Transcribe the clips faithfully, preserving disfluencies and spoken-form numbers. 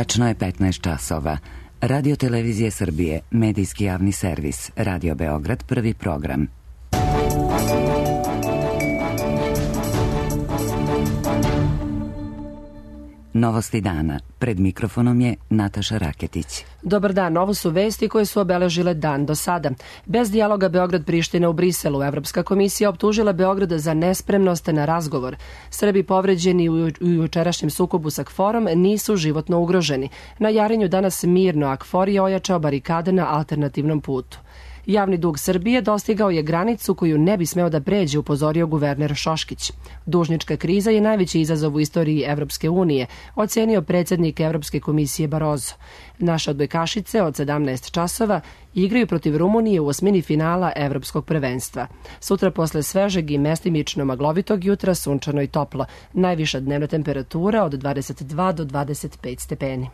Tačno je petnaest časova. Radio Televizije Srbije, medijski javni servis, Radio Beograd, prvi program. Novosti dana. Pred mikrofonom je Nataša Raketić. Dobar dan, ovo su vesti koje su obeležile dan do sada. Bez dijaloga Beograd-Priština u Briselu, Evropska komisija optužila Beograd za nespremnost na razgovor. Srbi povređeni u jučerašnjem sukobu sa KFOR-om nisu životno ugroženi. Na Jarinju danas mirno, a KFOR je ojačao barikade na alternativnom putu. Javni dug Srbije dostigao je granicu koju ne bi smeo da pređe, upozorio guverner Šoškić. Dužnička kriza je najveći izazov u istoriji Evropske unije, ocenio predsjednik Evropske komisije Barozo. Naše odbojkašice od sedamnaest časova igraju protiv Rumunije u osmini finala Evropskog prvenstva. Sutra posle svežeg i mestimično maglovitog jutra sunčano i toplo. Najviša dnevna temperatura od dvadeset dva do dvadeset pet stepeni.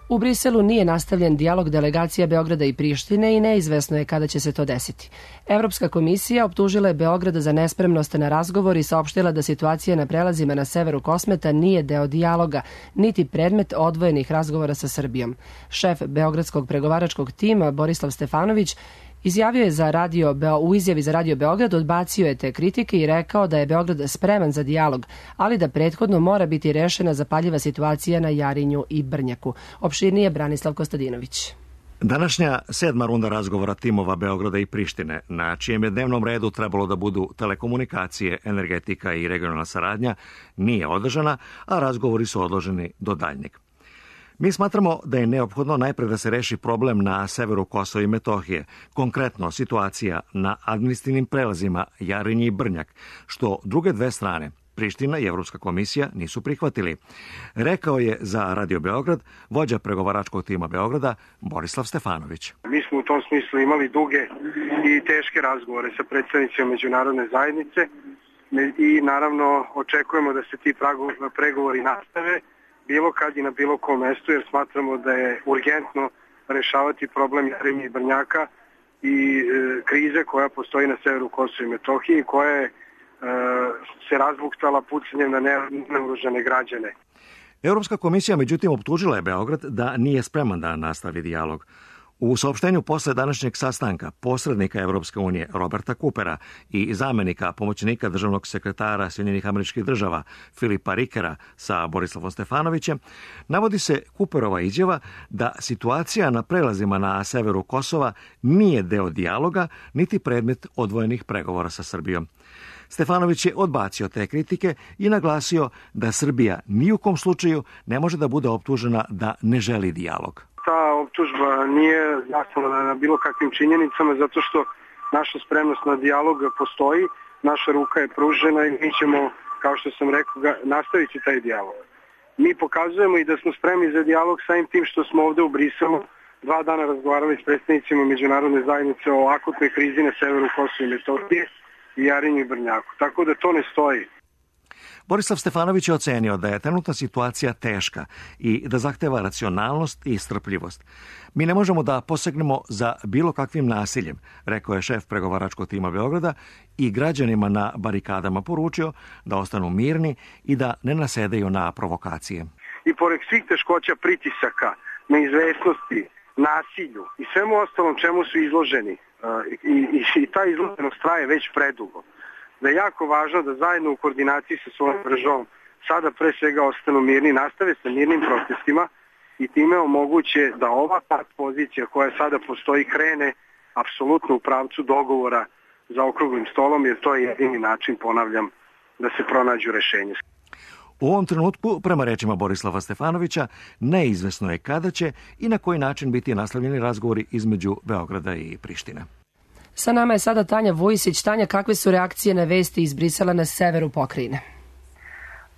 U Briselu nije nastavljen dijalog delegacija Beograda i Prištine i neizvesno je kada će se to desiti. Evropska komisija optužila je Beograd za nespremnost na razgovor i saopštila da situacija na prelazima na severu Kosmeta nije deo dijaloga, niti predmet odvojenih razgovora sa Srbijom. Šef beogradskog pregovaračkog tima Borislav Stefanović Izjavio je za radio, u izjavi za Radio Beograd odbacio je te kritike i rekao da je Beograd spreman za dijalog, ali da prethodno mora biti rešena zapaljiva situacija na Jarinju i Brnjaku. Opširnije Branislav Kostadinović. Današnja sedma runda razgovora timova Beograda i Prištine, na čijem je dnevnom redu trebalo da budu telekomunikacije, energetika i regionalna saradnja, nije održana, a razgovori su odloženi do daljnjeg. Mi smatramo da je neophodno najpre da se reši problem na severu Kosova i Metohije, konkretno situacija na administrativnim prelazima Jarinje i Brnjak, što druge dve strane, Priština i Evropska komisija, nisu prihvatili. Rekao je za Radio Beograd vođa pregovaračkog tima Beograda Borislav Stefanović. Mi smo u tom smislu imali duge i teške razgovore sa predstavnicima međunarodne zajednice i naravno očekujemo da se ti pregovori nastave bilo kad i na bilo kom mestu, jer smatramo da je urgentno rešavati problem Jarinje i Brnjaka i e, krize koja postoji na severu Kosova i Metohije, koja je e, se razbuktala pucanjem na neoružane građane. Evropska komisija međutim optužila je Beograd da nije spreman da nastavi dijalog. U saopštenju posle današnjeg sastanka posrednika Evropske unije Roberta Coopera i zamenika pomoćnika državnog sekretara Sjedinjenih Američkih Država Filipa Rikera sa Borislavom Stefanovićem, navodi se Cooperova izjava da situacija na prelazima na severu Kosova nije deo dijaloga niti predmet odvojenih pregovora sa Srbijom. Stefanović je odbacio te kritike i naglasio da Srbija ni u kom slučaju ne može da bude optužena da ne želi dijalog. Ta optužba nije zasnovana na bilo kakvim činjenicama, zato što naša spremnost na dijalog postoji, naša ruka je pružena i mi ćemo, kao što sam rekao, nastaviti taj dijalog. Mi pokazujemo i da smo spremni za dijalog samim tim što smo ovde u Briselu dva dana razgovarali s predstavnicima međunarodne zajednice o akutnoj krizi na severu Kosova i Metohije i Jarinju i Brnjaku. Tako da to ne stoji. Borislav Stefanović je ocenio da je trenutna situacija teška i da zahteva racionalnost i strpljivost. Mi ne možemo da posegnemo za bilo kakvim nasiljem, rekao je šef pregovaračkog tima Beograda i građanima na barikadama poručio da ostanu mirni i da ne nasedaju na provokacije. I pored svih teškoća, pritisaka, neizvesnosti, nasilju i svemu ostalom čemu su izloženi, i, i, i ta izloženost traje već predugo, da je jako važno da zajedno u koordinaciji sa svojom državom sada pre svega ostanu mirni, nastave sa mirnim protestima i time omoguće da ova part pozicija koja sada postoji krene apsolutno u pravcu dogovora za okruglim stolom, jer to je jedini način, ponavljam, da se pronađu rešenje. U ovom trenutku, prema rečima Borislava Stefanovića, neizvesno je kada će i na koji način biti nastavljeni razgovori između Beograda i Prištine. Sa nama je sada Tanja Vujisić. Tanja, kakve su reakcije na vesti iz Brisela na severu pokrajine?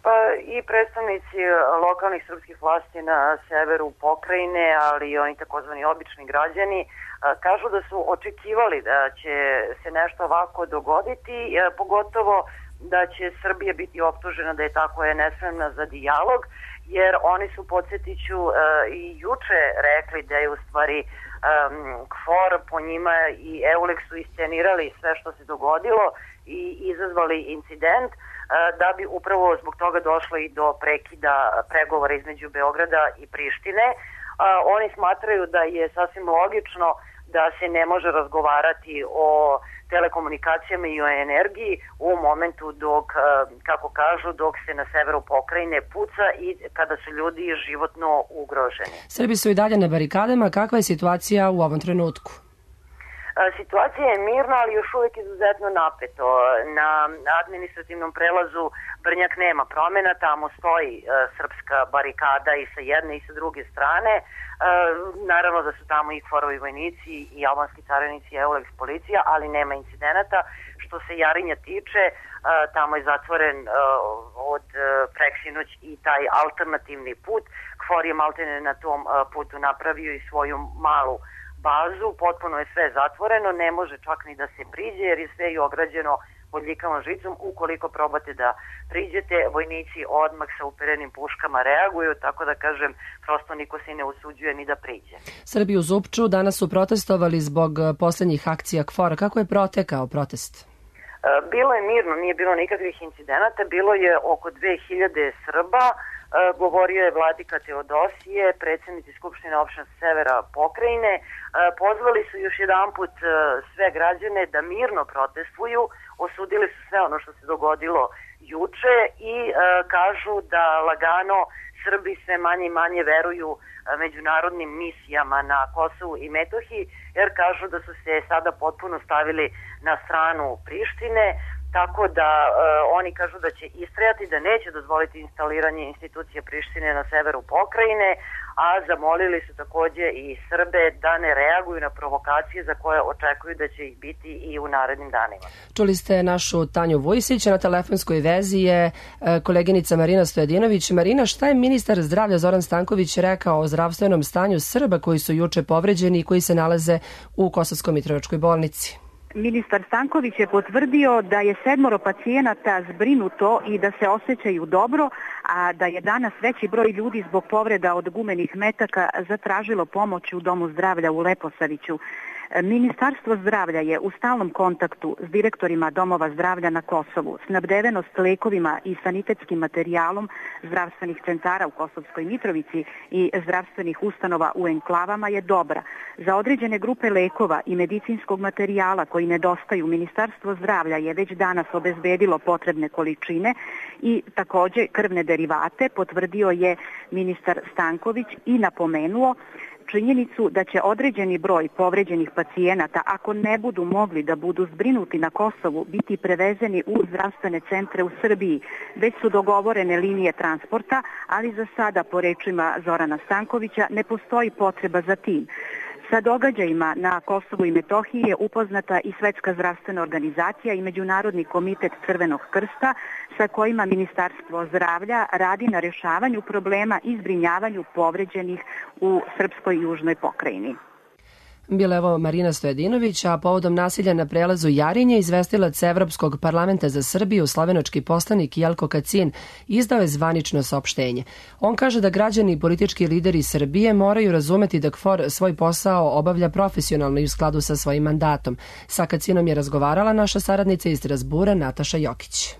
Pa i predstavnici lokalnih srpskih vlasti na severu pokrajine, ali i oni takozvani obični građani, kažu da su očekivali da će se nešto ovako dogoditi, pogotovo da će Srbija biti optužena da je tako je nespremna za dijalog, jer oni su, podsjetiću, i juče rekli da je u stvari Um, KFOR po njima i EULEX su iscenirali sve što se dogodilo i izazvali incident. da bi upravo zbog toga došlo i do prekida pregovora između Beograda i Prištine. Oni smatraju da je sasvim logično da se ne može razgovarati o telekomunikacijama i o energiji u momentu dok, kako kažu, dok se na severu pokrajine puca i kada su ljudi životno ugroženi. Srbi su i dalje na barikadama. Kakva je situacija u ovom trenutku? Situacija je mirna, ali još uvijek izuzetno napeto. Na administrativnom prelazu Brnjak nema promjena, tamo stoji e, srpska barikada i sa jedne i sa druge strane. E, naravno da su tamo i KFOR-ovi vojnici i albanski carinici i EULEX policija, ali nema incidenata. Što se Jarinja tiče, e, tamo je zatvoren e, od e, preksinoć i taj alternativni put. KFOR je maltene na tom e, putu napravio i svoju malu bazu, potpuno je sve zatvoreno, ne može čak ni da se priđe jer je sve i ograđeno bodljikavom žicom. Ukoliko probate da priđete, vojnici odmah sa uperenim puškama reaguju, tako da kažem, prosto niko se ne usuđuje ni da priđe. Srbi u Zupču danas su protestovali zbog posljednjih akcija KFOR-a. Kako je protekao protest? Bilo je mirno, nije bilo nikakvih incidenata, bilo je oko dve hiljade Srba. Govorio je vladika Teodosije, predsjednici Skupštine opštine Severa pokrajine. Pozvali su još jedan put sve građane da mirno protestuju, osudili su sve ono što se dogodilo juče i kažu da lagano Srbi sve manje i manje veruju međunarodnim misijama na Kosovu i Metohiji, jer kažu da su se sada potpuno stavili na stranu Prištine. Tako da e, oni kažu da će istrajati, da neće dozvoliti instaliranje institucije Prištine na severu pokrajine, a zamolili su takođe i Srbe da ne reaguju na provokacije za koje očekuju da će ih biti i u narednim danima. Čuli ste našu Tanju Vujsić, na telefonskoj vezi je koleginica Marina Stojadinović. Marina, šta je ministar zdravlja Zoran Stanković rekao o zdravstvenom stanju Srba koji su juče povređeni i koji se nalaze u Kosovsko-Mitrovačkoj bolnici? Ministar Stanković je potvrdio da je sedmoro pacijenata zbrinuto i da se osjećaju dobro, a da je danas veći broj ljudi zbog povreda od gumenih metaka zatražilo pomoć u Domu zdravlja u Leposaviću. Ministarstvo zdravlja je u stalnom kontaktu s direktorima domova zdravlja na Kosovu. Snabdevenost lekovima i sanitetskim materijalom zdravstvenih centara u Kosovskoj Mitrovici i zdravstvenih ustanova u enklavama je dobra. Za određene grupe lekova i medicinskog materijala koji nedostaju, Ministarstvo zdravlja je već danas obezbedilo potrebne količine i takođe krvne derivate, potvrdio je ministar Stanković i napomenuo činjenicu da će određeni broj povređenih pacijenata, ako ne budu mogli da budu zbrinuti na Kosovu, biti prevezeni u zdravstvene centre u Srbiji. Već su dogovorene linije transporta, ali za sada, po rečima Zorana Stankovića, ne postoji potreba za tim. Sa događajima na Kosovu i Metohiji je upoznata i Svetska zdravstvena organizacija i Međunarodni komitet Crvenog krsta, sa kojima Ministarstvo zdravlja radi na rješavanju problema i zbrinjavanju povređenih u srpskoj južnoj pokrajini. Bila evo Marina Stojadinović, a povodom nasilja na prelazu Jarinje izvestilac Evropskog parlamenta za Srbiju, slovenački poslanik Jelko Kacin, izdao je zvanično saopštenje. On kaže da građani i politički lideri Srbije moraju razumeti da KFOR svoj posao obavlja profesionalno i u skladu sa svojim mandatom. Sa Kacinom je razgovarala naša saradnica iz Strasbura Nataša Jokić.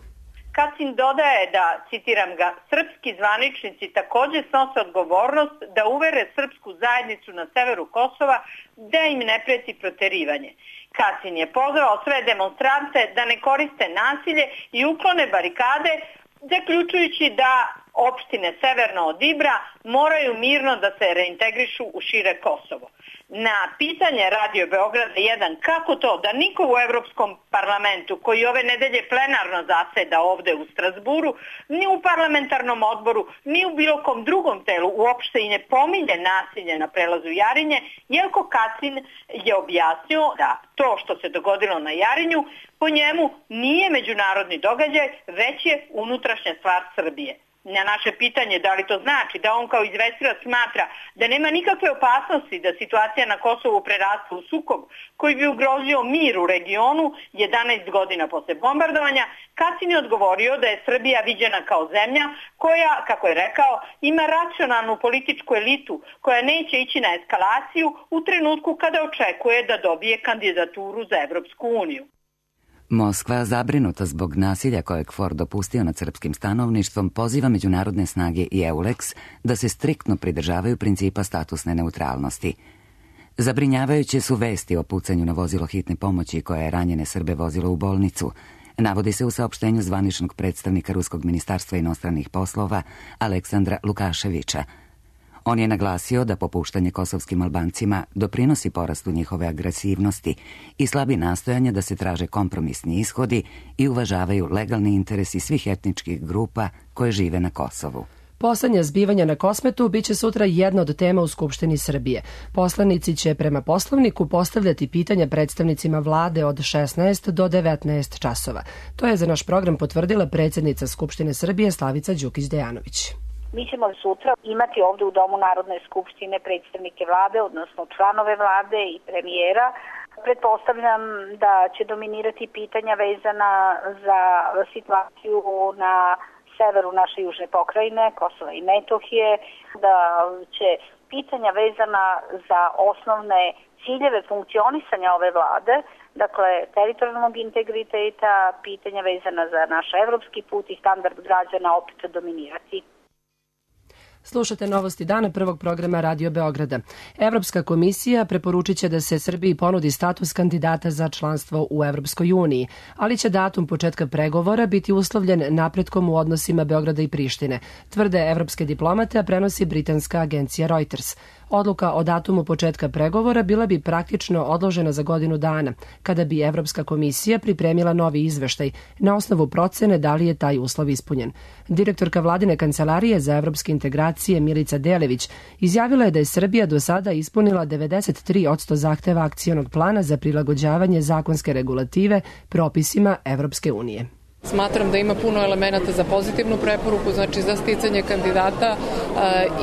Kacin dodaje da, citiram ga, srpski zvaničnici takođe snose odgovornost da uvere srpsku zajednicu na severu Kosova da im ne preti proterivanje. Kacin je pozvao sve demonstrante da ne koriste nasilje i uklone barikade, zaključujući da opštine severno od Ibra moraju mirno da se reintegrišu u šire Kosovo. Na pitanje Radio Beograda jedan kako to da niko u Evropskom parlamentu, koji ove nedelje plenarno zaseda ovde u Strasburu, ni u parlamentarnom odboru, ni u bilo kom drugom telu uopšte i ne pominje nasilje na prelazu Jarinje, Jelko Kacin je objasnio da to što se dogodilo na Jarinju po njemu nije međunarodni događaj, već je unutrašnja stvar Srbije. Na naše pitanje da li to znači da on kao izvestilac smatra da nema nikakve opasnosti da situacija na Kosovu preraste u sukob koji bi ugrozio mir u regionu jedanaest godina posle bombardovanja, Kacin je odgovorio da je Srbija viđena kao zemlja koja, kako je rekao, ima racionalnu političku elitu koja neće ići na eskalaciju u trenutku kada očekuje da dobije kandidaturu za Evropsku uniju. Moskva, zabrinuta zbog nasilja kojeg Ford dopustio nad srpskim stanovništvom, poziva međunarodne snage i EULEX da se striktno pridržavaju principa statusne neutralnosti. Zabrinjavajuće su vesti o pucanju na vozilo hitne pomoći koje je ranjene Srbe vozilo u bolnicu. Navodi se u saopštenju zvaničnog predstavnika Ruskog ministarstva inostranih poslova Aleksandra Lukaševića. On je naglasio da popuštanje kosovskim Albancima doprinosi porastu njihove agresivnosti i slabi nastojanja da se traže kompromisni ishodi i uvažavaju legalni interesi svih etničkih grupa koje žive na Kosovu. Poslednja zbivanja na Kosmetu biće sutra jedna od tema u Skupštini Srbije. Poslanici će prema poslovniku postavljati pitanja predstavnicima vlade od šesnaest do devetnaest časova. To je za naš program potvrdila predsjednica Skupštine Srbije Slavica Đukić-Dejanović. Mi ćemo sutra imati ovde u Domu Narodne skupštine predstavnike vlade, odnosno članove vlade i premijera. Pretpostavljam da će dominirati pitanja vezana za situaciju na severu naše južne pokrajine, Kosova i Metohije, da će pitanja vezana za osnovne ciljeve funkcionisanja ove vlade, dakle teritorijalnog integriteta, pitanja vezana za naš evropski put i standard građana opet dominirati. Slušate novosti dana prvog programa Radio Beograda. Evropska komisija preporučit će da se Srbiji ponudi status kandidata za članstvo u Evropskoj uniji, ali će datum početka pregovora biti uslovljen napretkom u odnosima Beograda i Prištine, tvrde evropske diplomate, a prenosi britanska agencija Reuters. Odluka o datumu početka pregovora bila bi praktično odložena za godinu dana, kada bi Evropska komisija pripremila novi izveštaj na osnovu procene da li je taj uslov ispunjen. Direktorka vladine kancelarije za evropske integracije Milica Delević izjavila je da je Srbija do sada ispunila devedeset tri posto zahteva akcionog plana za prilagođavanje zakonske regulative propisima Evropske unije. Smatram da ima puno elemenata za pozitivnu preporuku, znači za sticanje kandidata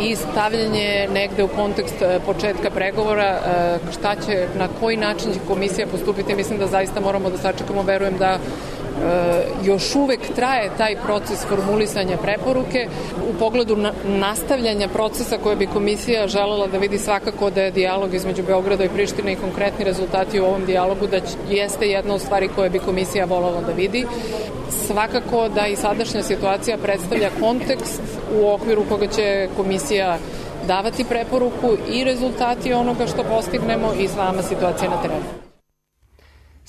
i stavljanje negde u kontekst početka pregovora, šta će, na koji način će komisija postupiti. Mislim da zaista moramo da sačekamo, verujem da još uvek traje taj proces formulisanja preporuke. U pogledu nastavljanja procesa koje bi komisija želela da vidi, svakako da je dijalog između Beograda i Prištine i konkretni rezultati u ovom dijalogu da jeste jedna od stvari koje bi komisija voljela da vidi. Svakako da i sadašnja situacija predstavlja kontekst u okviru koga će komisija davati preporuku i rezultati onoga što postignemo i sama situacija na terenu.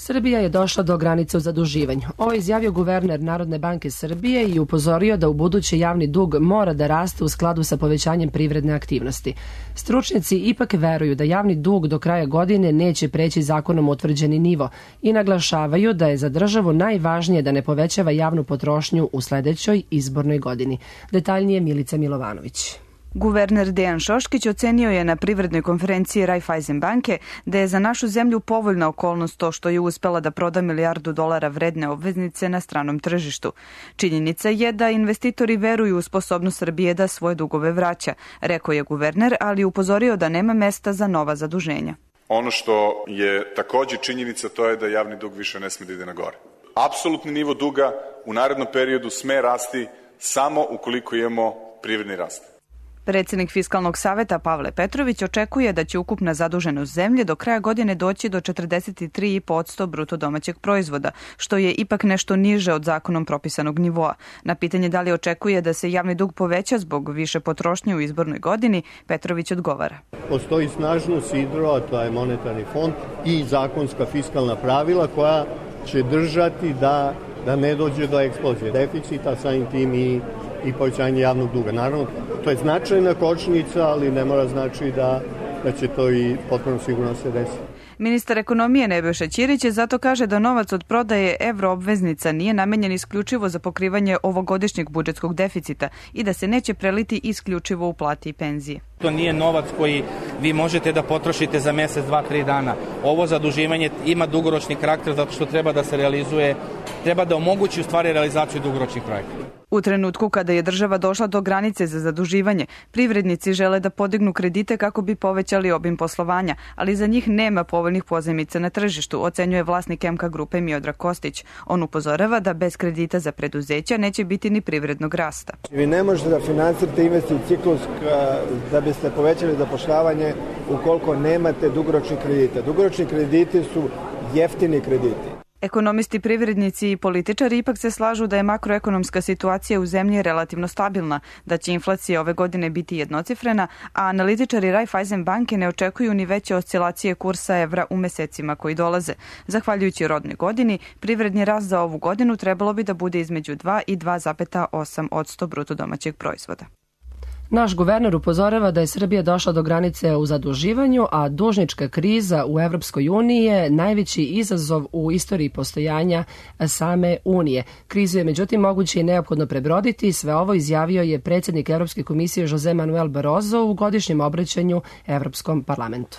Srbija je došla do granice u zaduživanju. Ovo je izjavio guverner Narodne banke Srbije i upozorio da u buduće javni dug mora da raste u skladu sa povećanjem privredne aktivnosti. Stručnjaci ipak veruju da javni dug do kraja godine neće preći zakonom utvrđeni nivo i naglašavaju da je za državu najvažnije da ne povećava javnu potrošnju u sledećoj izbornoj godini. Detaljnije Milica Milovanović. Guverner Dejan Šoškić ocenio je na privrednoj konferenciji Raiffeisen banke da je za našu zemlju povoljna okolnost to što je uspela da proda milijardu dolara vredne obveznice na stranom tržištu. Činjenica je da investitori veruju u sposobnost Srbije da svoje dugove vraća, rekao je guverner, ali upozorio da nema mesta za nova zaduženja. Ono što je takođe činjenica, to je da javni dug više ne sme da ide na gore. Apsolutni nivo duga u narednom periodu sme rasti samo ukoliko imamo privredni rast. Predsednik Fiskalnog saveta Pavle Petrović očekuje da će ukupna zaduženost zemlje do kraja godine doći do četrdeset tri posto bruto domaćeg proizvoda, što je ipak nešto niže od zakonom propisanog nivoa. Na pitanje da li očekuje da se javni dug poveća zbog više potrošnje u izbornoj godini, Petrović odgovara. Postoji snažno sidro, a to je monetarni fond i zakonska fiskalna pravila koja će držati da, da ne dođe do eksplozije deficita, samim tim i i povećanje javnog duga. Naravno, to je značajna kočnica, ali ne mora znači da, da će to i potpuno sigurno se desiti. Ministar ekonomije Nebojša Ćirić zato kaže da novac od prodaje evroobveznica nije namenjen isključivo za pokrivanje ovogodišnjeg budžetskog deficita i da se neće preliti isključivo u plate i penzije. To nije novac koji vi možete da potrošite za mesec, dva, tri dana. Ovo zaduživanje ima dugoročni karakter zato što treba da se realizuje, treba da omogući u stvari realizaciju dugoročnih projekata. U trenutku kada je država došla do granice za zaduživanje, privrednici žele da podignu kredite kako bi povećali obim poslovanja, ali za njih nema povoljnih pozajmica na tržištu, ocenjuje vlasnik M K grupe Miodrag Kostić. On upozorava da bez kredita za preduzeća neće biti ni privrednog rasta. Vi ne možete da finansirate investicioni ciklus da biste povećali zapošljavanje ukoliko nemate dugoročni kredite. Dugoročni krediti su jeftini krediti. Ekonomisti, privrednici i političari ipak se slažu da je makroekonomska situacija u zemlji relativno stabilna, da će inflacija ove godine biti jednocifrena, a analitičari Raiffeisen banke ne očekuju ni veće oscilacije kursa evra u mesecima koji dolaze. Zahvaljujući rodnoj godini, privredni rast za ovu godinu trebalo bi da bude između dva i dva zarez osam posto bruto domaćeg proizvoda. Naš guverner upozorava da je Srbija došla do granice u zaduživanju, a dužnička kriza u Evropskoj uniji je najveći izazov u istoriji postojanja same Unije. Krizu je međutim moguće i neophodno prebroditi. Sve ovo izjavio je predsjednik Evropske komisije Jose Manuel Barroso u godišnjem obraćanju Evropskom parlamentu.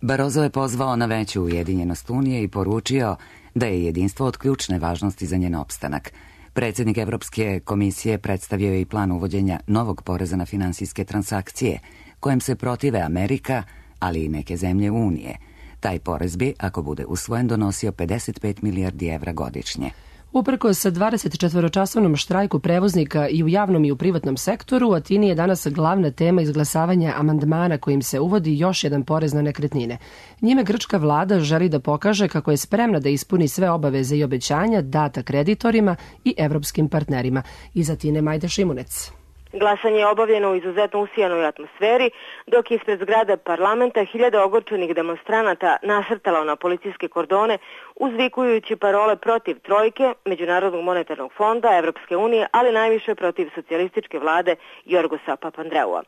Barroso je pozvao na veću ujedinjenost Unije i poručio da je jedinstvo od ključne važnosti za njen opstanak. Predsjednik Evropske komisije predstavio je i plan uvođenja novog poreza na finansijske transakcije, kojem se protive Amerika, ali i neke zemlje Unije. Taj porez bi, ako bude usvojen, donosio pedeset pet milijardi evra godišnje. Uprkos dvadesetčetvoročasovnom štrajku prevoznika i u javnom i u privatnom sektoru, u Atini je danas glavna tema izglasavanja amandmana kojim se uvodi još jedan porez na nekretnine. Njime grčka vlada želi da pokaže kako je spremna da ispuni sve obaveze i obećanja data kreditorima i evropskim partnerima. Iz Atine Majda Šimunec. Glasanje je obavljeno u izuzetno usijanoj atmosferi, dok je ispred zgrade parlamenta hiljada ogorčenih demonstranata nasrtalo na policijske kordone, uzvikujući parole protiv trojke, Međunarodnog monetarnog fonda, Evropske unije, ali najviše protiv socijalističke vlade Jorgosa Papandreua.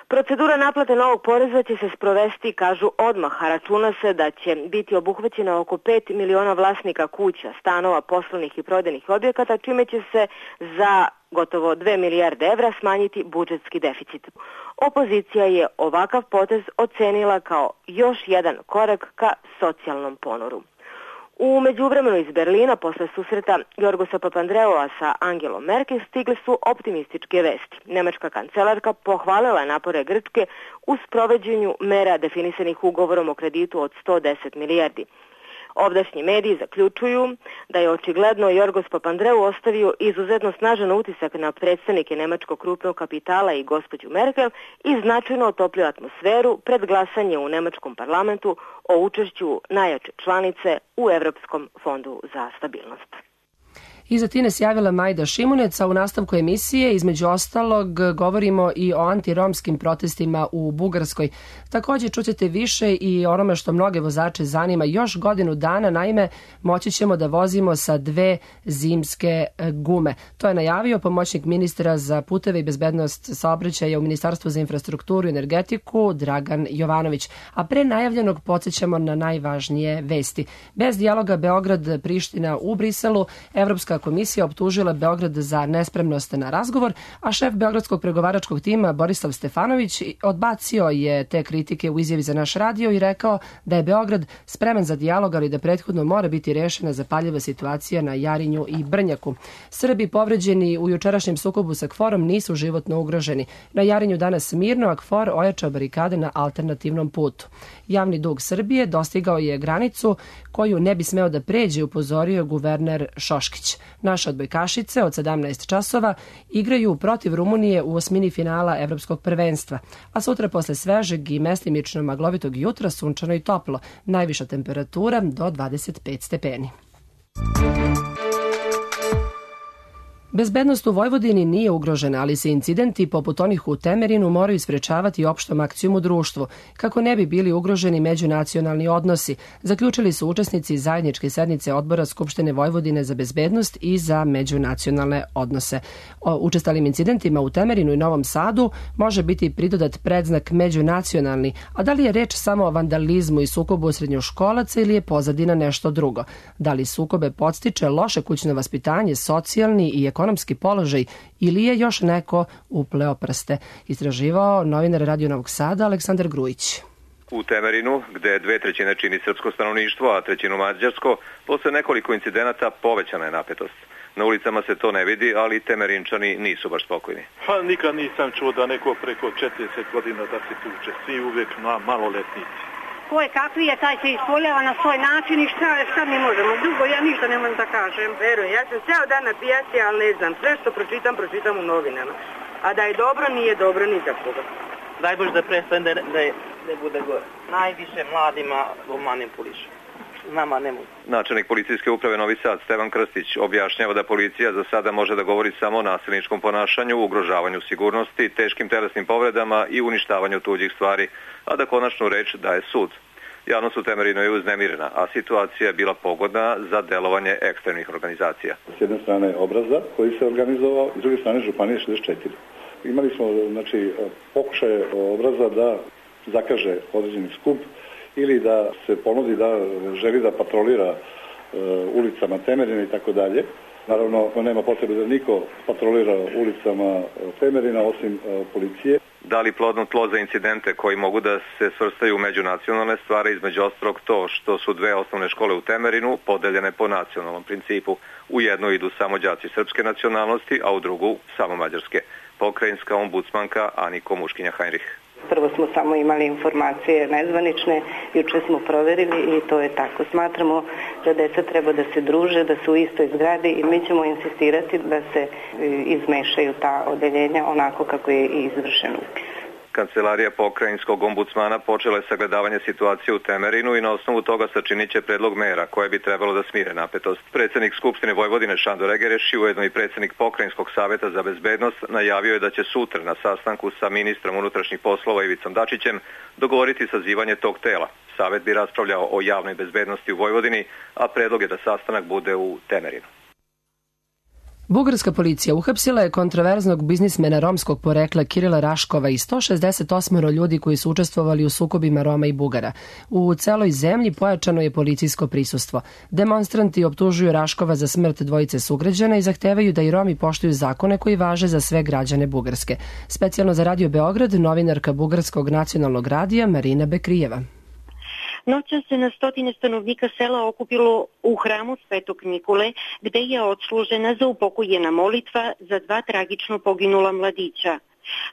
Procedura naplate novog poreza će se sprovesti, kažu, odmah, a računa se da će biti obuhvaćeno oko pet miliona vlasnika kuća, stanova, poslovnih i prodajnih objekata, čime će se za gotovo dve milijarde evra smanjiti budžetski deficit. Opozicija je ovakav potez ocenila kao još jedan korak ka socijalnom ponoru. U međuvremenu iz Berlina, posle susreta Jorgosa Papandreua sa Angelom Merkel, stigle su optimističke vesti. Nemačka kancelarka pohvalila je napore Grčke u sprovođenju mera definisanih ugovorom o kreditu od sto deset milijardi. Ovdašnji mediji zaključuju da je očigledno Jorgos Papandreou ostavio izuzetno snažan utisak na predstavnike nemačkog krupnog kapitala i gospođu Merkel i značajno otoplio atmosferu pred glasanje u nemačkom parlamentu o učešću najjače članice u Evropskom fondu za stabilnost. Iz Atine se javila Majda Šimunec, a u nastavku emisije između ostalog govorimo i o antiromskim protestima u Bugarskoj. Također čućete više i onome što mnoge vozače zanima još godinu dana, naime moći ćemo da vozimo sa dve zimske gume. To je najavio pomoćnik ministra za puteve i bezbednost saobraćaja u Ministarstvu za infrastrukturu i energetiku Dragan Jovanović. A pre najavljenog podsjećamo na najvažnije vesti. Bez dijaloga Beograd-Priština u Briselu, Evropska komisija optužila Beograd za nespremnost na razgovor, a šef beogradskog pregovaračkog tima Borislav Stefanović odbacio je te kritike u izjavi za naš radio i rekao da je Beograd spreman za dijalog, ali da prethodno mora biti rešena zapaljiva situacija na Jarinju i Brnjaku. Srbi povređeni u jučerašnjem sukobu sa KFOR-om nisu životno ugroženi. Na Jarinju danas mirno, a KFOR ojačao barikade na alternativnom putu. Javni dug Srbije dostigao je granicu koju ne bi smeo da pređe, upozorio guverner Šoškić. Naše odbojkašice od sedamnaest časova igraju protiv Rumunije u osmini finala Evropskog prvenstva, a sutra posle svežeg i mestimično maglovitog jutra sunčano i toplo, najviša temperatura do dvadeset pet stepeni. Bezbednost u Vojvodini nije ugrožena, ali se incidenti poput onih u Temerinu moraju sprečavati opštom akcijom u društvu, kako ne bi bili ugroženi međunacionalni odnosi, zaključili su učesnici zajedničke sednice Odbora Skupštine Vojvodine za bezbednost i za međunacionalne odnose. O učestalim incidentima u Temerinu i Novom Sadu može biti pridodat predznak međunacionalni, a da li je reč samo o vandalizmu i sukobu srednjoškolaca ili je pozadina nešto drugo? Da li sukobe podstiče loše kućno vaspitanje, socijalni i ekonomski ekonomski položaj ili je još neko upleo prste? Istraživao novinar Radio Novog Sada Aleksandar Grujić. U Temerinu, gde dve trećine čini srpsko stanovništvo, a trećinu mađarsko, posle nekoliko incidenata povećana je napetost. Na ulicama se to ne vidi, ali Temerinčani nisu baš spokojni. Pa nikad nisam čuo da neko preko četrdeset godina da se tuče, svi uvek na maloletnici. Ko je kakvi je, taj se ispoljava na svoj način i šta, šta mi možemo. Drugo, ja ništa ne mogu da kažem. Verujem, ja sam ceo dan na pijaci, ali ne znam. Sve što pročitam, pročitam u novinama. A da je dobro, nije dobro ni za koga. Daj Bože da prestane da, da ne bude gore. Najviše mladima manipuliše. nama ne mogu. Načelnik policijske uprave Novi Sad Stevan Krstić objašnjava da policija za sada može da govori samo o nasilničkom ponašanju, ugrožavanju sigurnosti, teškim telesnim povredama i uništavanju tuđih stvari, a da konačnu reč daje sud. Javnost u Temerinu je uznemirena, a situacija je bila pogodna za delovanje ekstremnih organizacija. S jedne strane obraza koji se organizovao, s druge strane Županije šezdeset četiri. Imali smo znači, pokušaje obraza da zakaže određeni skup ili da se ponudi da želi da patrolira e, ulicama Temerina i tako dalje. Naravno, nema potrebe da niko patrolira ulicama Temerina osim e, policije. Da li plodno tlo za incidente koji mogu da se svrstaju u međunacionalne stvari, između ostalog to što su dve osnovne škole u Temerinu podeljene po nacionalnom principu. U jednu idu samo đaci srpske nacionalnosti, a u drugu samo mađarske. Pokrajinska ombudsmanka Aniko Muškinja-Heinrich. Prvo smo samo imali informacije nezvanične, juče smo proverili i to je tako. Smatramo da deca treba da se druže, da su u istoj zgradi i mi ćemo insistirati da se izmešaju ta odeljenja onako kako je i izvršen upis. Kancelarija pokrajinskog ombudsmana počela je sagledavanje situacije u Temerinu i na osnovu toga sačinit će predlog mera koje bi trebalo da smire napetost. Predsednik Skupštine Vojvodine Šandor Egereš i ujedno i predsednik Pokrajinskog saveta za bezbednost najavio je da će sutra na sastanku sa ministrom unutrašnjih poslova Ivicom Dačićem dogovoriti sazivanje tog tela. Savet bi raspravljao o javnoj bezbednosti u Vojvodini, a predlog je da sastanak bude u Temerinu. Bugarska policija uhapsila je kontroverznog biznismena romskog porekla Kirila Raškova i sto šezdeset osam ljudi koji su učestvovali u sukobima Roma i Bugara. U celoj zemlji pojačano je policijsko prisustvo. Demonstranti optužuju Raškova za smrt dvojice sugrađana i zahtevaju da i Romi poštuju zakone koji važe za sve građane Bugarske. Specijalno za Radio Beograd, novinarka Bugarskog nacionalnog radija Marina Bekrijeva. Noća se na stotine stanovnika sela okupilo u hramu Svetog Nikole, gde je odslužena za upokojena molitva za dva tragično poginula mladića.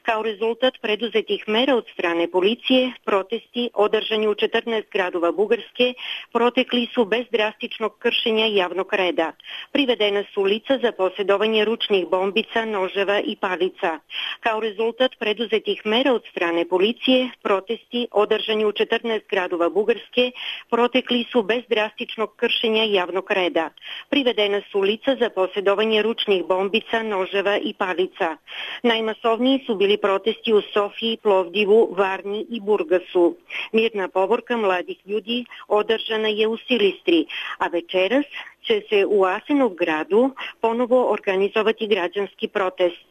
Kao rezultat preduzetih mera od strane policije, protesti održani u četrnaest gradova Bugarske protekli su bez drastičnog kršenja javnog reda. Privedena su lica za posjedovanje ručnih bombica, noževa i palica. Kao rezultat preduzetih mera od strane policije, protesti održani u četrnaest gradova Bugarske protekli su bez drastičnog kršenja javnog reda. Privedena su lica za posjedovanje ručnih bombica, noževa i palica. Najmasovniji su bili protesti u Sofiji, Plovdivu, Varni i Burgasu. Mirna povorka mladih ljudi održana je u Silistri, a večeras će se u Asenovgradu ponovo organizovati građanski protest.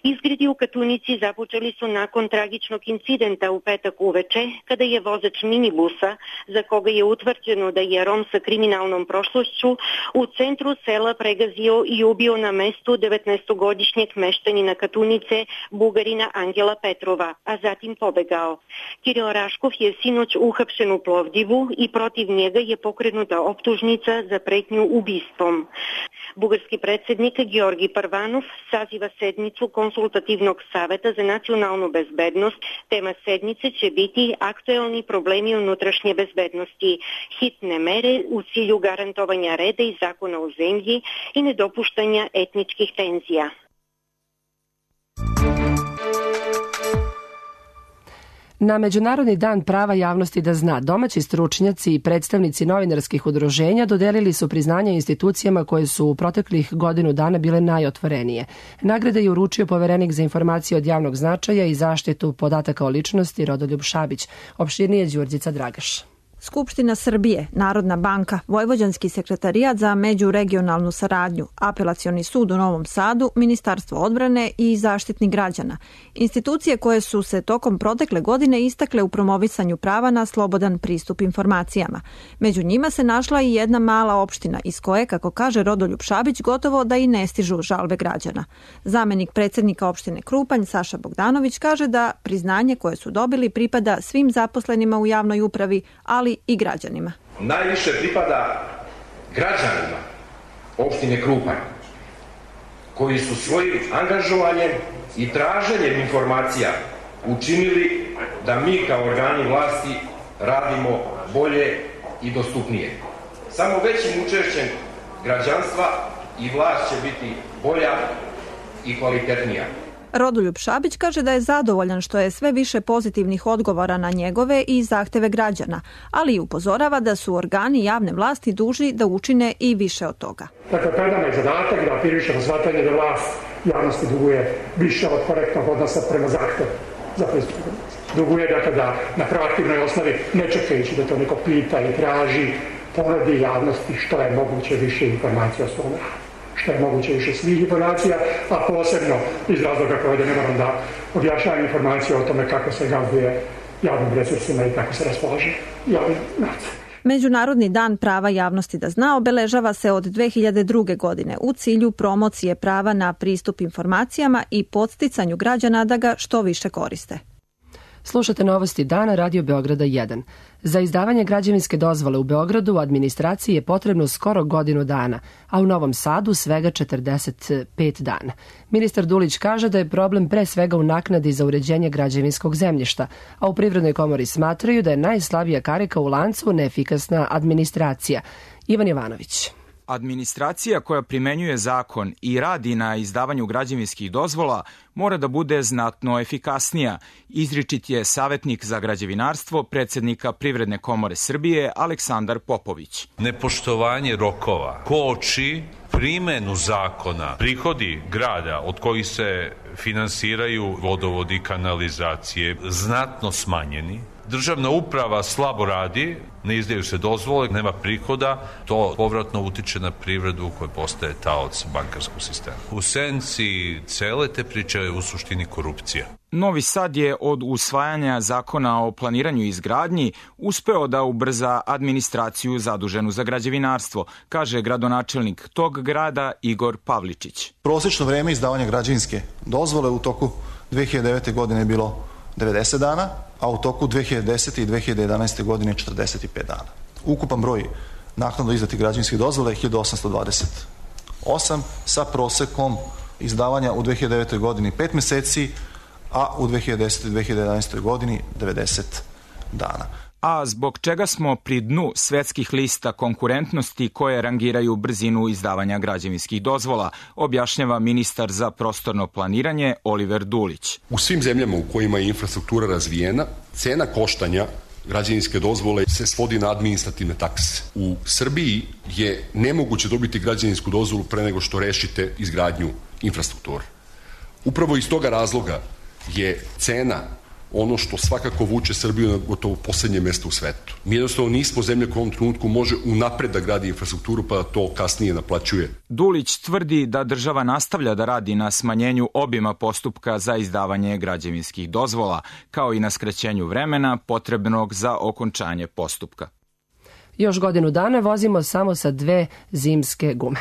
Izgredi u Katunici započeli su nakon tragičnog incidenta u petak uveče, kada je vozač minibusa, za koga je utvrđeno da je Rom sa kriminalnom prošlošću, u centru sela pregazio i ubio na mestu devetnaestogodišnjeg meštanina Katunice, Bugarina Angela Petrova, a zatim pobegao. Kiril Raškov je sinoć uhapšen u Plovdivu i protiv njega je pokrenuta optužnica za pretnju ubistvom. Bugarski predsjednik Georgi Parvanov saziva sednicu konsultativnog saveta za nacionalnu bezbednost. Tema sednice će biti aktuelni problemi unutrašnje bezbednosti, hitne mere u cilju garantovanja reda i zakona u zemlji i nedopuštanja etničkih tenzija. Na Međunarodni dan prava javnosti da zna, domaći stručnjaci i predstavnici novinarskih udruženja dodelili su priznanja institucijama koje su u proteklih godinu dana bile najotvorenije. Nagrade je uručio poverenik za informacije od javnog značaja i zaštitu podataka o ličnosti Rodoljub Šabić. Opširnije Đurđica Dragaš. Skupština Srbije, Narodna banka, Vojvođanski sekretarijat za međuregionalnu saradnju, Apelacioni sud u Novom Sadu, Ministarstvo odbrane i Zaštitnik građana. Institucije koje su se tokom protekle godine istakle u promovisanju prava na slobodan pristup informacijama. Među njima se našla i jedna mala opština iz koje, kako kaže Rodoljub Šabić, gotovo da i ne stižu žalbe građana. Zamenik predsjednika opštine Krupanj, Saša Bogdanović, kaže da priznanje koje su dobili pripada svim zaposlenima u javnoj upravi, ali i građanima. Najviše pripada građanima opštine Krupanj, koji su svojim angažovanjem i traženjem informacija učinili da mi kao organi vlasti radimo bolje i dostupnije. Samo većim učešćem građanstva i vlast će biti bolja i kvalitetnija. Rodoljub Šabić kaže da je zadovoljan što je sve više pozitivnih odgovora na njegove i zahteve građana, ali i upozorava da su organi javne vlasti dužni da učine i više od toga. Dakle, pred nama je zadatak da afirmišemo shvatanje da vlast javnosti duguje više od korektnog odnosa prema zahtevu za pristup informaciji. Duguje dakle da na proaktivnoj osnovi ne čekajući da to neko pita i traži, ponudi javnosti što je moguće više informacija o svom radu. Što je moguće više svih informacija, a posebno iz razloga koje ne moram da objašnjavam informacije o tome kako se gazduje javnim resursima i kako se raspolaže javnim novcem. Međunarodni dan prava javnosti da zna obeležava se od dve hiljade druge. godine u cilju promocije prava na pristup informacijama i podsticanju građana da ga što više koriste. Slušate novosti dana Radio Beograda jedan. Za izdavanje građevinske dozvole u Beogradu u administraciji je potrebno skoro godinu dana, a u Novom Sadu svega četrdeset pet dana. Ministar Dulić kaže da je problem pre svega u naknadi za uređenje građevinskog zemljišta, a u Privrednoj komori smatraju da je najslabija karika u lancu neefikasna administracija. Ivan Jovanović. Administracija koja primenjuje zakon i radi na izdavanju građevinskih dozvola mora da bude znatno efikasnija, izričit je savjetnik za građevinarstvo predsjednika Privredne komore Srbije Aleksandar Popović. Nepoštovanje rokova koči primenu zakona, prihodi grada od kojih se finansiraju vodovodi i kanalizacije znatno smanjeni. Državna uprava slabo radi, ne izdaju se dozvole, nema prihoda, to povratno utiče na privredu koja postaje taoc bankarskog sistema. U senci cele te priče je u suštini korupcija. Novi Sad je od usvajanja zakona o planiranju i izgradnji uspeo da ubrza administraciju zaduženu za građevinarstvo, kaže gradonačelnik tog grada Igor Pavličić. Prosečno vreme izdavanja građevinske dozvole u toku dve hiljade devete. godine je bilo devedeset dana, a u toku dve hiljade desete. i dve hiljade jedanaeste. godine četrdeset pet dana. Ukupan broj naknadno izdatih građevinskih dozvola je hiljadu osamsto dvadeset osam sa prosekom izdavanja u dve hiljade devete. godini pet meseci, a u dve hiljade desete. i dve hiljade jedanaeste. godini devedeset dana. A zbog čega smo pri dnu svetskih lista konkurentnosti koje rangiraju brzinu izdavanja građevinskih dozvola, objašnjava ministar za prostorno planiranje Oliver Dulić. U svim zemljama u kojima je infrastruktura razvijena, cena koštanja građevinske dozvole se svodi na administrativne takse. U Srbiji je nemoguće dobiti građevinsku dozvolu pre nego što rešite izgradnju infrastrukture. Upravo iz toga razloga je cena ono što svakako vuče Srbiju na gotovo poslednje mesto u svetu. Mi jednostavno nismo zemlja koja u ovom trenutku može unapred da gradi infrastrukturu pa da to kasnije naplaćuje. Dulić tvrdi da država nastavlja da radi na smanjenju obima postupka za izdavanje građevinskih dozvola, kao i na skraćenju vremena potrebnog za okončanje postupka. Još godinu dana vozimo samo sa dve zimske gume.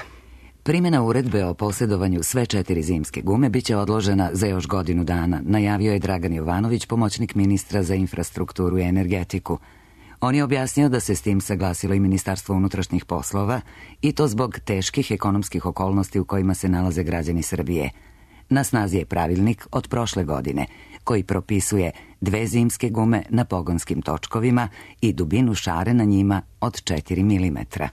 Primjena uredbe o posjedovanju sve četiri zimske gume biće odložena za još godinu dana, najavio je Dragan Jovanović, pomoćnik ministra za infrastrukturu i energetiku. On je objasnio da se s tim saglasilo i Ministarstvo unutrašnjih poslova i to zbog teških ekonomskih okolnosti u kojima se nalaze građani Srbije. Na snazi je pravilnik od prošle godine koji propisuje dve zimske gume na pogonskim točkovima i dubinu šare na njima od četiri milimetra.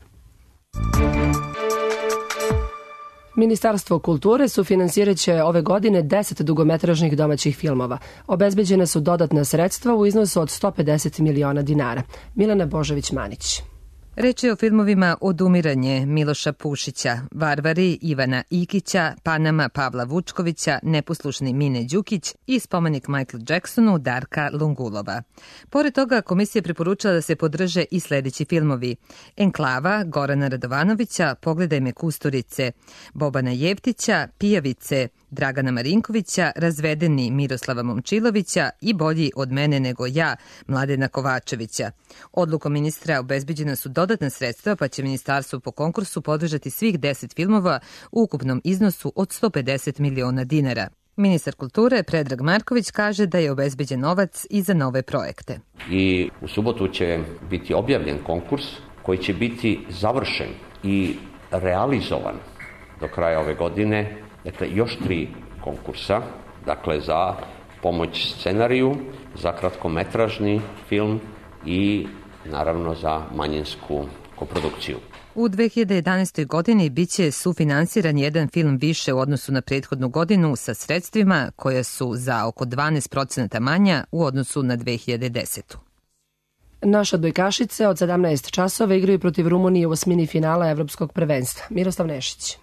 Ministarstvo kulture sufinansirat će ove godine deset dugometražnih domaćih filmova. Obezbeđena su dodatna sredstva u iznosu od sto pedeset miliona dinara. Milena Božović-Manić. Reč je o filmovima Odumiranje Miloša Pušića, Varvari Ivana Ikića, Panama Pavla Vučkovića, Neposlušni Mine Đukić i spomenik Michael Jacksonu Darka Lungulova. Pored toga, komisija preporučila da se podrže i sledeći filmovi: Enklava Gorana Radovanovića, Pogledaj me Kusturice, Bobana Jevtića, Pijavice, Dragana Marinkovića, Razvedeni Miroslava Momčilovića i Bolji od mene nego ja Mladena Kovačevića. Odlukom ministra obezbeđena su dodatna sredstva, pa će ministarstvo po konkursu podržati svih deset filmova u ukupnom iznosu od sto pedeset miliona dinara. Ministar kulture Predrag Marković kaže da je obezbeđen novac i za nove projekte. I u subotu će biti objavljen konkurs koji će biti završen i realizovan do kraja ove godine. Dakle, još tri konkursa, dakle za pomoć scenariju, za kratkometražni film i naravno za manjinsku koprodukciju. U dve hiljade jedanaestoj. godini biće sufinansiran jedan film više u odnosu na prethodnu godinu sa sredstvima koja su za oko dvanaest procenata manja u odnosu na dve hiljade desetu. Naše odbojkašice od sedamnaest časova igraju protiv Rumunije u osmini finala Evropskog prvenstva. Miroslav Nešić.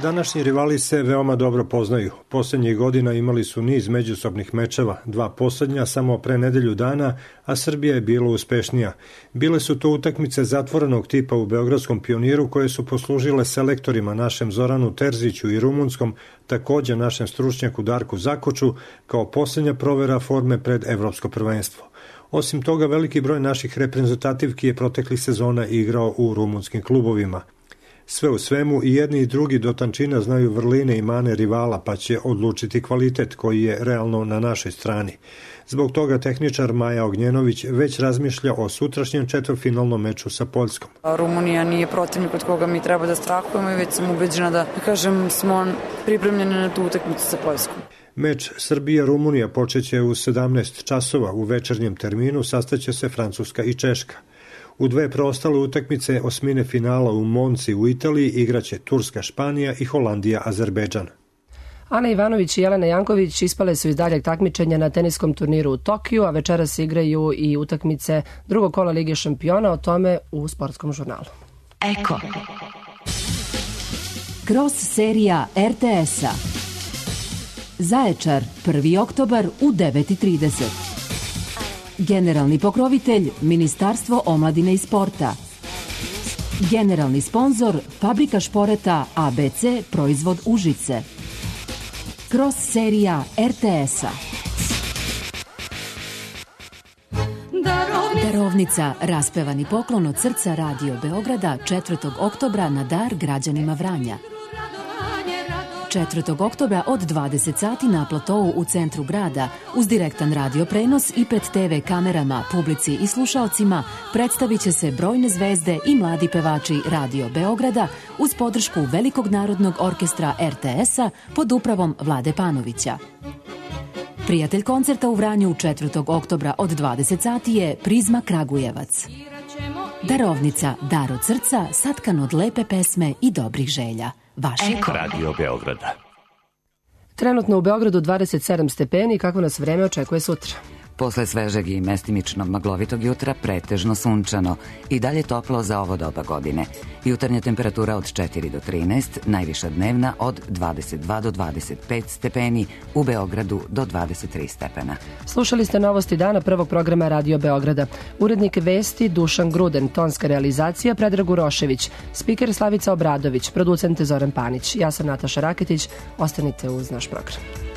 Današnji rivali se veoma dobro poznaju. Poslednjih godina imali su niz međusobnih mečeva, dva poslednja samo pre nedelju dana, a Srbija je bila uspešnija. Bile su to utakmice zatvorenog tipa u Beogradskom Pioniru koje su poslužile selektorima našem Zoranu Terziću i rumunskom, takođe našem stručnjaku Darku Zakoču, kao poslednja provera forme pred Evropsko prvenstvo. Osim toga, veliki broj naših reprezentativki je proteklih sezona igrao u rumunskim klubovima. Sve u svemu i jedni i drugi do tančina znaju vrline i mane rivala, pa će odlučiti kvalitet koji je realno na našoj strani. Zbog toga tehničar Maja Ognjenović već razmišlja o sutrašnjem četvrtfinalnom meču sa Poljskom. Rumunija nije protivnik od koga mi treba da strahujemo i već sam ubeđena da, da kažem, smo pripremljeni na tu utakmicu sa Poljskom. Meč Srbija-Rumunija počeće u sedamnaest časova. U večernjem terminu sastaće se Francuska i Češka. U dve preostale utakmice osmine finala u Monci u Italiji igraće Turska, Španija i Holandija, Azerbejdžan. Ana Ivanović i Jelena Janković ispale su iz daljeg takmičenja na teniskom turniru u Tokiju, a večeras igraju i utakmice drugog kola Lige šampiona, o tome u sportskom žurnalu. Eko. Cross serija er te es-a. Zaječar, prvi oktobar u devet i trideset. Generalni pokrovitelj Ministarstvo omladine i sporta. Generalni sponzor Fabrika šporeta a be ce Proizvod Užice. Cross serija er te es-a. Darovnica, raspevani poklon od srca Radio Beograda četvrtog oktobra na dar građanima Vranja. četvrtog oktobra od dvadeset sati na platovu u centru grada uz direktan radio prenos i pred te ve kamerama, publici i slušalcima predstavit će se brojne zvezde i mladi pevači Radio Beograda uz podršku Velikog narodnog orkestra er te es-a pod upravom Vlade Panovića. Prijatelj koncerta u Vranju četvrtog oktobra od dvadeset sati je Prizma Kragujevac. Darovnica, dar od srca, satkan od lepe pesme i dobrih želja. Vaše Eko. Radio Beograda. Trenutno u Beogradu dvadeset sedam stepeni, kako nas vreme očekuje sutra. Posle svežeg i mestimično maglovitog jutra pretežno sunčano i dalje toplo za ovo doba godine. Jutarnja temperatura od četiri do trinaest, najviša dnevna od dvadeset dva do dvadeset pet stepeni, u Beogradu do dvadeset tri stepena. Slušali ste novosti dana prvog programa Radio Beograda. Urednik vesti Dušan Gruden, tonska realizacija Predrag Urošević, spiker Slavica Obradović, producent Zoran Panić. Ja sam Nataša Raketić, ostanite uz naš program.